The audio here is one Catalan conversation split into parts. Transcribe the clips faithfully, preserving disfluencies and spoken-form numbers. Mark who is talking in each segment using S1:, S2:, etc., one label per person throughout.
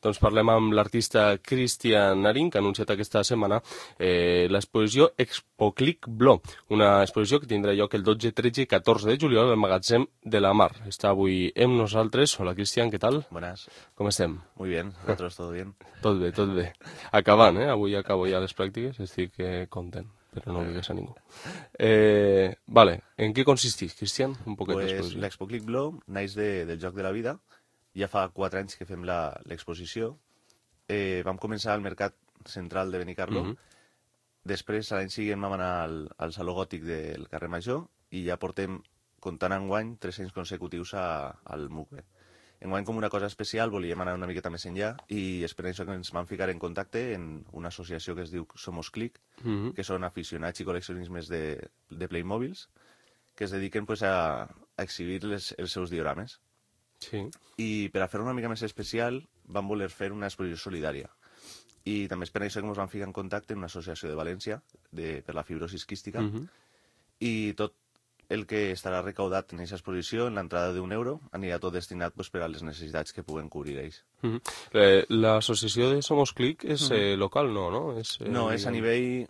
S1: Doncs parlem amb l'artista Cristian Narín, que ha anunciat aquesta setmana eh, l'exposició Expoclic Blo, una exposició que tindrà lloc el dotze, tretze i catorze de juliol al Magatzem de la Mar. Està avui amb nosaltres. Hola, Cristian, què tal?
S2: Buenas.
S1: Com estem?
S2: Muy bien, ¿vosotros todo bien?
S1: Tot bé, tot bé. Acabant, eh? Avui acabo ja les pràctiques, estic eh, content, però no ho digues a ningú. Eh, vale, en què consisteix, Cristian? Un poquet
S2: Pues
S1: d'exposició.
S2: l'Expoclic Blo naix de, del Joc de la Vida. Ja fa quatre anys que fem l'exposició. Eh, vam començar al Mercat Central de Benicarló.
S1: Mhm.
S2: Després, a l'any següent, vam anar al, al Saló Gòtic del carrer Major i ja portem, comptant enguany, tres anys consecutius a, al M U C B. Enguany, com una cosa especial, volíem anar una miqueta més enllà i és per això que ens vam ficar en contacte en una associació que es diu Somos Clic,
S1: Mhm.
S2: que són aficionats i col·leccionismes de, de Playmobils, que es dediquen pues, a, a exhibir les, els seus diorames.
S1: Sí.
S2: I per a fer una mica més especial vam voler fer una exposició solidària. I també és per això que ens vam ficar en contacte amb una associació de València de, per la fibrosis quística.
S1: Mhm.
S2: I tot el que estarà recaudat en aquesta exposició, en l'entrada d'un euro, anirà tot destinat pues, per a les necessitats que puguen cobrir ells.
S1: Mhm. Eh, L'associació de Somos Clic és eh, local, no, no? És, eh,
S2: No, és a
S1: diguem-
S2: nivell...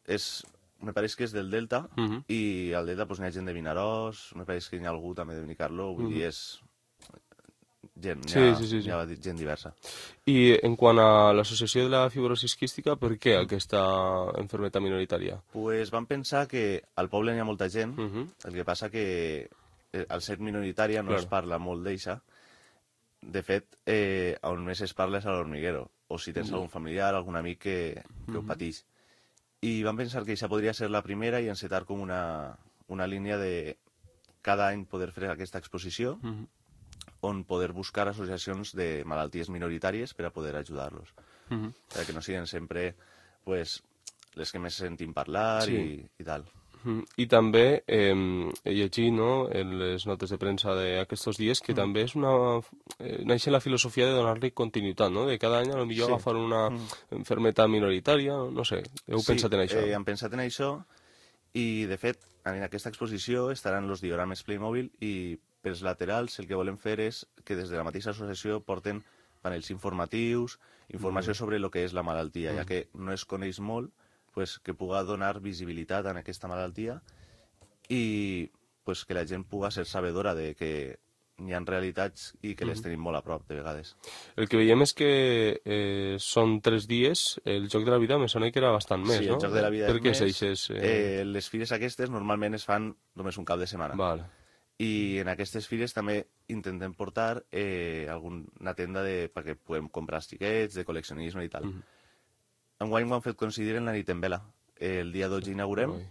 S2: És, me pareix que és del Delta,
S1: Mhm.
S2: i al Delta pues, n'hi ha gent de Vinaròs, me pareix que n'hi ha algú també de Benicarló, vull dir, és gent, n'hi
S1: Sí,
S2: ha,
S1: sí, sí, sí.
S2: n'hi ha gent diversa.
S1: I en quant a l'associació de la fibrosis quística, per què aquesta enfermedad minoritària?
S2: Pues vam pensar que al poble n'hi ha molta gent,
S1: Mhm.
S2: el que passa que eh, al ser minoritària no
S1: Claro.
S2: es parla molt d'eixa. De fet, eh, on més es parla és a l'Hormiguero, o si tens algun familiar, algun amic que, que ho pateix. I vam pensar que això podria ser la primera i encetar com una, una línia de cada any poder fer aquesta exposició,
S1: Mhm.
S2: on poder buscar associacions de malalties minoritàries per a poder ajudar-los.
S1: Mhm.
S2: Per que no siguin sempre pues, les que més sentim parlar
S1: Sí.
S2: i, i tal.
S1: Mhm. I també eh, he llegit, no, en les notes de premsa d'aquests dies que també és una... Eh, naix la filosofia de donar-li continuïtat, no? De cada any a lo millor
S2: Sí.
S1: agafar una enfermedad minoritària, no sé, heu pensat en això?
S2: Sí, eh, hem pensat en això i, de fet, en aquesta exposició estaran els diorames Playmobil i pels laterals el que volem fer és que des de la mateixa associació porten panells informatius, informació sobre el que és la malaltia, ja que no es coneix molt, pues, que puga donar visibilitat a aquesta malaltia i pues, que la gent puga ser sabedora de que hi ha realitats i que les tenim molt a prop, de vegades.
S1: El que veiem és que eh, són tres dies, el Joc de la Vida me sona que era bastant més,
S2: Sí,
S1: no?
S2: el Joc de la Vida
S1: per
S2: és
S1: què
S2: més.
S1: s'eixes? Eh...
S2: Eh, les fires aquestes normalment es fan només un cap de setmana.
S1: Vale.
S2: I en aquestes fires també intentem portar eh, alguna tenda de, perquè puguem comprar els xiquets, de col·leccionisme i tal.
S1: Mhm.
S2: Enguany ho han fet coincidir en la nit en vela. El dia dotze inaugurem
S1: Ui.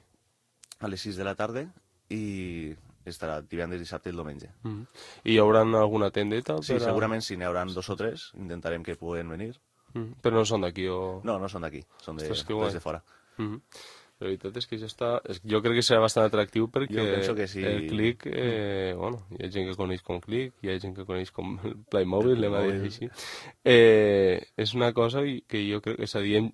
S2: a les sis de la tarda i estarà divendres, dissabte i el diumenge.
S1: Mhm. I hi haurà alguna tendeta?
S2: Sí,
S1: per a-
S2: segurament si n'hi haurà dos o tres, intentarem que puguen venir.
S1: Mhm. Però no són d'aquí o...
S2: No, no són d'aquí, són de,
S1: Ostres, que guai.
S2: des de fora.
S1: Mhm. La veritat és que ja està... és- Jo crec que serà bastant atractiu perquè
S2: Jo penso que sí.
S1: el Clic, eh, bueno, hi ha gent que coneix com Clic, hi ha gent que coneix com el Playmobil,
S2: El
S1: anem a dir
S2: Playmobil.
S1: així. Eh, és una cosa i- que jo crec que, és a dir, hem,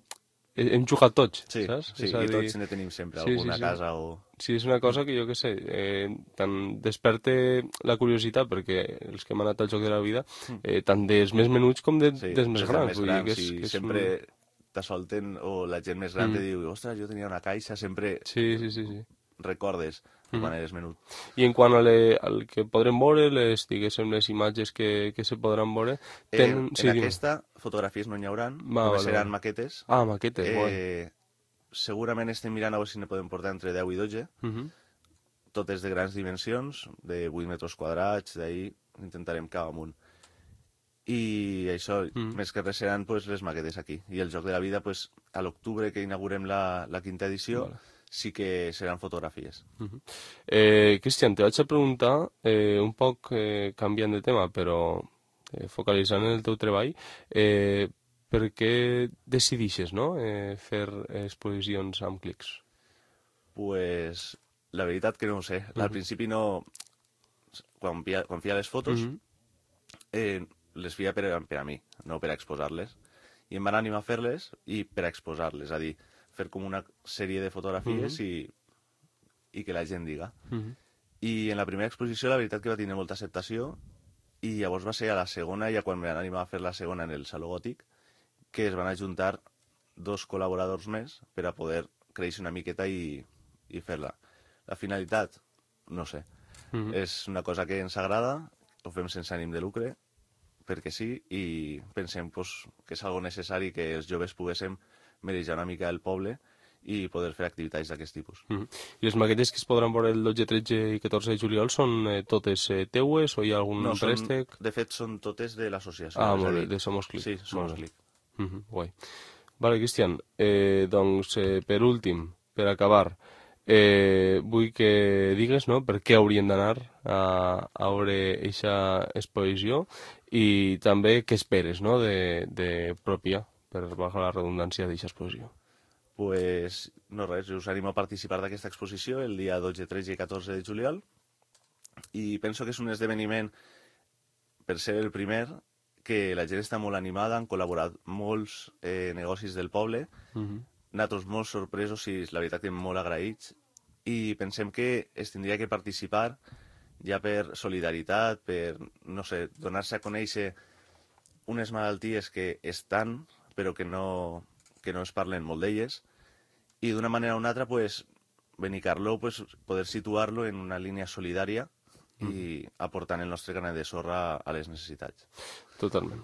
S1: hem jugat tots,
S2: Sí,
S1: saps?
S2: sí,
S1: És a
S2: i
S1: dir,
S2: tots ne tenim sempre
S1: sí, sí,
S2: alguna
S1: sí.
S2: casa o...
S1: Sí, és una cosa que jo que sé, eh, tant desperte la curiositat perquè els que hem anat al Joc de la Vida, eh, tant dels més menuts com de,
S2: Sí,
S1: dels més
S2: des dels
S1: grans.
S2: més
S1: Vull dir
S2: grans,
S1: que és,
S2: i
S1: que és
S2: sempre
S1: un...
S2: t'assolten, o la gent més gran te diu, ostres, jo tenia una caixa, sempre
S1: Sí, sí, sí, sí.
S2: recordes quan eres menut.
S1: I en quant a le, al que podrem veure, les, diguéssim, les imatges que, que se podran veure,
S2: Eh,
S1: tenen...
S2: en
S1: sí, dime.
S2: aquesta, fotografies no n'hi hauran,
S1: Va,
S2: només
S1: vale,
S2: seran
S1: vale.
S2: maquetes.
S1: Ah, maquetes, eh, guai.
S2: Eh, segurament estem mirant a veure si ne podem portar entre deu i dotze,
S1: Mhm.
S2: totes de grans dimensions, de vuit metres quadrats, d'ahir intentarem cap amunt. I això,
S1: Mm.
S2: més que res seran pues, les maquetes aquí. I el Joc de la Vida, pues, a l'octubre que inaugurem la, la quinta edició,
S1: Vale.
S2: sí que seran fotografies.
S1: Mhm. Eh, Cristian, te vaig a preguntar, eh, un poc eh, canviant de tema, però eh, focalitzant en el teu treball, eh, per què decidixes, no?, eh, fer exposicions amb clics?
S2: Pues, la veritat que no ho sé. Al principi no... Quan feia, quan feia les fotos,
S1: Mhm.
S2: eh, les feia per, a- per a mi, no per a exposar-les. I em van animar a fer-les i per a exposar-les, és a dir, fer com una sèrie de fotografies i, i que la gent diga.
S1: Mhm.
S2: I en la primera exposició la veritat que va tenir molta acceptació i llavors va ser a la segona, ja quan vam animar a fer la segona en el Saló Gòtic, que es van ajuntar dos col·laboradors més per a poder créixer una miqueta i, i fer-la. La finalitat, no sé, mm-hmm. és una cosa que ens agrada, ho fem sense ànim de lucre, perquè sí, i pensem pues, que és algo necessari que els joves poguéssim marejar una mica el poble i poder fer activitats d'aquest tipus.
S1: Mm-hmm. I les maquetes que es podran veure el dotze, tretze i catorze de juliol són eh, totes eh, teues o hi ha algun
S2: no, són,
S1: préstec?
S2: De fet, són totes de l'associació.
S1: Ah, molt bé, de Somos Clic.
S2: Sí, Somos Clic.
S1: Mm-hmm, guai. Vale, Cristian, eh, doncs eh, per últim, per acabar, eh, vull que digues no, per què haurien d'anar a, a veure aquesta exposició i també què esperes no, de, de pròpia, per bajar la redundància d'aquesta exposició.
S2: Pues no res, us animo a participar d'aquesta exposició el dia dotze, tretze i catorze de juliol i penso que és un esdeveniment, per ser el primer, que la gent està molt animada, han col·laborat molts eh, negocis del poble, mm-hmm. nosaltres molt sorpresos i la veritat que molt agraïts, i pensem que es tindria que participar ja per solidaritat, per, no sé, donar-se a conèixer unes malalties que estan, però que no, que no es parlen molt d'elles, i d'una manera o una altra, pues, Benicarló, pues, poder situar-lo en una línia solidària i aportant el nostre granet de sorra a les necessitats.
S1: Totalment.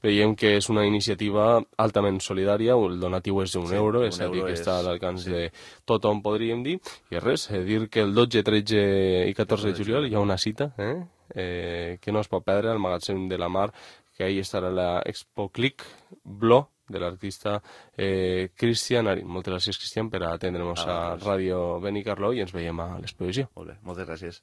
S1: Veiem que és una iniciativa altament solidària, el donatiu és d'un sí, euro, és a dir, que és... està a l'alcance sí. de tothom, podríem dir, i res, eh, dir que el dotze, tretze i catorze de juliol hi ha una cita eh? Eh, que no es pot perdre al magatzem de la Mar, que ahí estarà la Expo Clic Blo de l'artista eh, Cristian Arín. Moltes gràcies, Cristian, per atendre'ns ah, a Ràdio Benicarló i ens veiem a l'exposició.
S2: Molt bé, moltes gràcies.